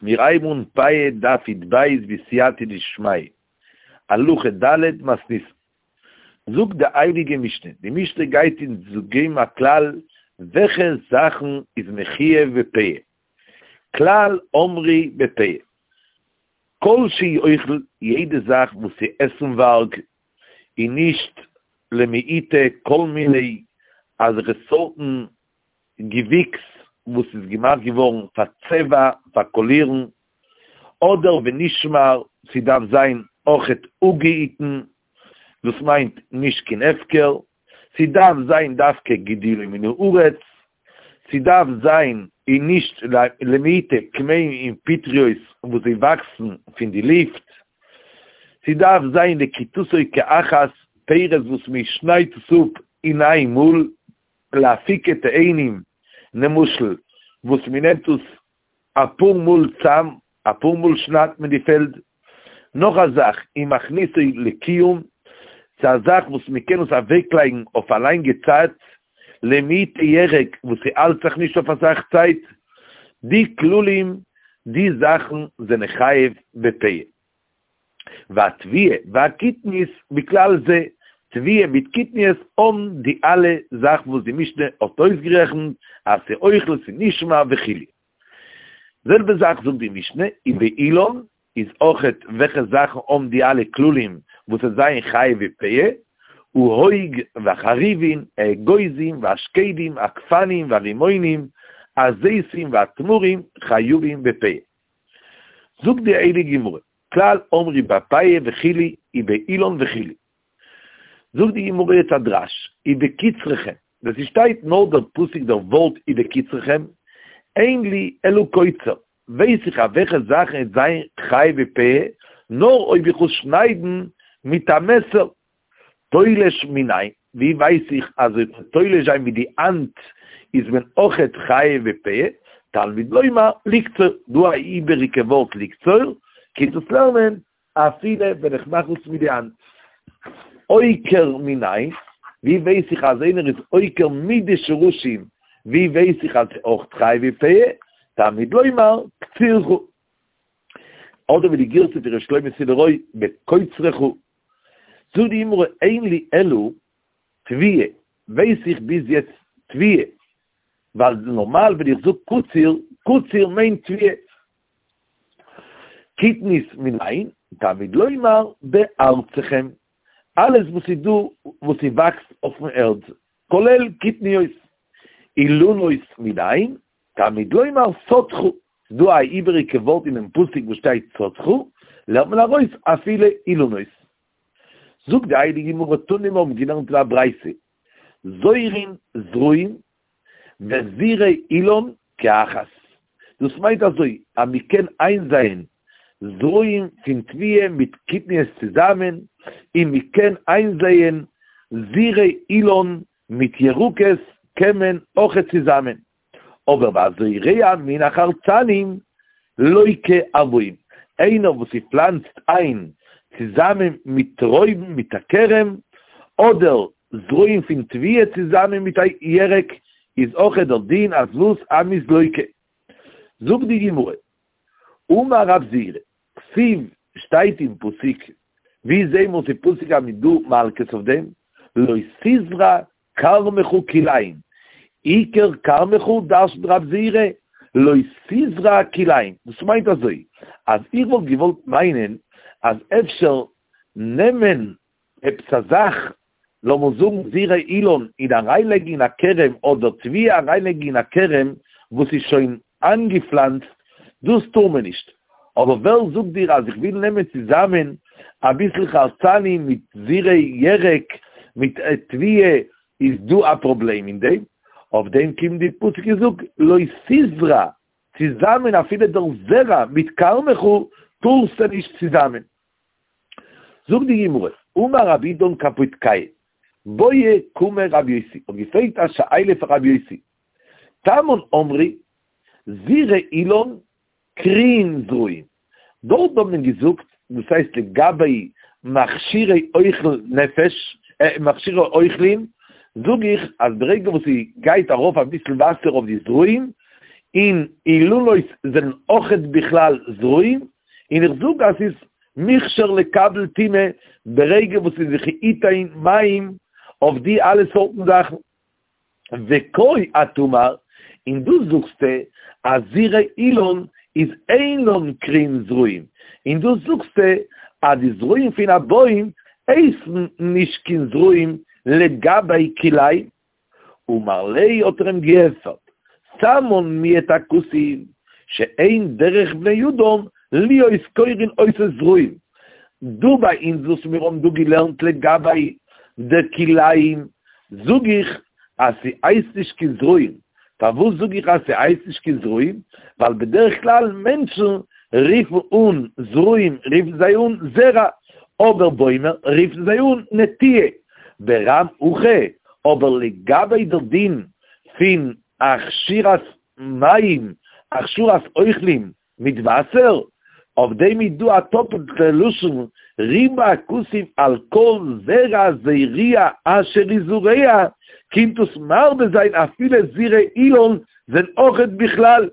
מיר הייבן אן פאה דף י"ב בסייעתא דשמיא, הלכה ד' מתניתין. זאגט די הייליגע משנה, די משנה גייט אונז געבן א כלל וועלכע זאכן איז מחויב בפאה, כלל אומרי בפאה, כל שהוא אוכל, יעדע זאך וואס איז עסנווארג און נישט למעוטי כל מיני אזעלכע סארטן געוויקס וואס איז געמאכט געווארן פאר צבע, פאר קאלירן, אדער ונשמר, ס'דארף זיין אויכעט אפגעהיטן, דאס מיינט נישט קיין הפקר, ס'דארף זיין דווקא גידולו מן הארץ, ס'דארף זיין און נישט למעוטי כמהין און פטריות וואס זיי וואקסן פון די לופט, ס'דארף זיין לקיטתו כאחת, פירות וואס מ'שניידט עס אפ אין איין מאל, לאפוקי תאנים, למשל וואס מ'נעמט עס אפאר מאל צאם, אפאר מאל שניידט מען די פעלד. נאך א זאך, ומכניסו לקיום, ס'איז א זאך וואס מ'קען עס אוועקלייגן אויף א לאנגע צייט, למעוטי ירק וואס ס'האלט זיך נישט אויף אסאך צייט, די כללים, די זאכן זענען חייב בפאה. והתבואה והקטנית בכלל זה, תבואה מיט קטניות האבן די אלע זאכן וואס די משנה האט אויסגערעכנט אז ס'אוכל ס'נשמר וכו'. זעלבע זאך זאגט די משנה ובאילן איז אויכעט וועלכע זאכן האבן די אלע כללים וואס עס זיין חייב בפאה, האוג והחרובין, האגוזים והשקדים, הגפנים והרימונים, הזיתים והתמרים חייבים בפאה. זאגט די הייליגע גמרא, כלל אומרי בפאה וכו' ובאילן וכו'. זאגט די גמרא יעצט א דרש, ובקצרכם, ווען ס'שטייט נאר דער פסוק דער ווארט ובקצרכם, אין לי אלא קוצר, ווייס איך אויף וועלכע זאכן עס זיין חייב בפאה, נאר אויב איך וועל שניידן מיט א מעסער. תולש מנין, ווי ווייס איך אז אויב כ'וועל תולש זיין מיט די האנט איז מען אויכעט חייב בפאה, תלמוד לומר לקצור, דא א איבעריגע ווארט לקצור, קומט עס לערנען אפילו ווען איך מאך עס מיט די האנט. עוקר מנין, ווי ווייס איך אז איינער איז עוקר מיט די שרשים, ווי ווייס איך אז אויך חייב בפאה, תלמוד לומר קצירך. אדער ווי די גירסא פון ר' שלמה סילערוי בקוצרך. זאגט די גמרא אין לי אלא תבואה, ווייס איך ביז יעצט תבואה, ווייל נארמאל ווען איך זאג קציר, קציר מיינט תבואה. קטנית מנין, תלמוד לומר בארצכם, אלעס וואס איז דא וואס ס'וואקסט אויפן ערד, כולל קטניות. אילנות מנין, תלמוד לומר שדך, ס'איז דא א איבעריגע ווארט אינעם פסוק וואס שטייט שדך, לערנט מען ארויס אפילו אילנות. זאגט די הייליגע גמרא תנא מיר האבן געלערנט אין א ברייתא, זורין זרעים וזרעי אילן כאחת, דאס מיינט אזוי אז מען קען איינזייען זרעים פון תבואה מיט קטניות צוזאמען, און מען קען איינזייען זרעי אילן מיט ירקות קען מען אויכעט צוזאמען, אבער והזורע מן החרצנים לוקה ארבעים, איינער וואס ס'פלאנצט איין צוזאמען מיט טרויבן מיט א כרם, אדער זרעים פון תבואה צוזאמען מיט א ירק, איז אויכעט דער דין אז וואס אז מ'איז לוקה. זאגט די גמרא, אמר רב זירא, כתיב שטייט אין פסוק, ווי זעהן מיר אין פסוק אז מ'איז דא מלקות אויף דעם, לא תזרע כרמך כלאים, עיקר כרמך דרש'נט רב זירא, לא תזרע כלאים, דאס מיינט אזוי, אז איך וואלט געוואלט מיינען אז אפשר נעמען עפעס א זאך, לאמיר זאגן זרעי אילן, און אריינלייגן אין א כרם, אדער תבואה אריינלייגן אין א כרם וואס איז שוין איינגעפלאנצט, דאס טאר מען נישט. אבער ווער זאגט דיר אז איך וויל נעמען צוזאמען אביסל חרצנים מיט זרעי ירק מיט תבואה, איז דא א פראבלעם אין דעם? אויף דעם קומט די פסוק און זאגט לא תזרע, צוזאמען אפילו דער זרע מיט כרמך טארסטו נישט צוזאמען. זאגט די גמרא, אמר רב אידן קפוטקיא, בעי קמיה רבי יוסי, האט געפרעגט א שאלה פאר רבי יוסי, תמן אמרי, זרעי אילן קרויין זרעים, דארט האט מען געזאגט, דאס הייסט לגבי מכשירי אוכל נפש, מכשירי אוכלים, זאג איך אז ברגע וואס ס'גייט ארויף אביסל וואסער אויף די זרעים, און אילנות זענען אויכעט בכלל זרעים, און איך זאג אז ס'איז מוכשר לקבל טומאה ברגע וואס ס'איז וכי יתן מים אויף די אלע סארטן זאכן. וכה את אמר, און דא זאגסטו אז זרעי אילן איז אינן קרוין זרעים, און דא זאגסטו אז די זרעים פון א בוים הייסן נישט קיין זרעים לגבי כלאים. אמר ליה האט ער אים געענטפערט, תמן מיעט הכתוב שאין דרך בני אדם להיות קורין אותו זרעים, דא ביי אונז וואס מיר האבן דא געלערנט לגבי די כלאים זאג איך אז ס'הייסט נישט קיין זרעים, פארוואס זאג איך אז ס'הייסט נישט קיין זרעים? ווייל בדרך כלל מענטשן רופן אן זרעים רופן זיי אן זרע, אבער בוימער רופן זיי אן נטיעה, ברם הכא, אבער לגבי דער דין פון הכשרת מים, הכשרת אוכלים מיט וואסער, אויף דעם איז דא א טאפלטע לשון, ריבה הכתוב על כל זרע זריעה אשר יזרע, קומט דאס מרבה זיין אפילו זרעי אילן זענען אויכעט בכלל.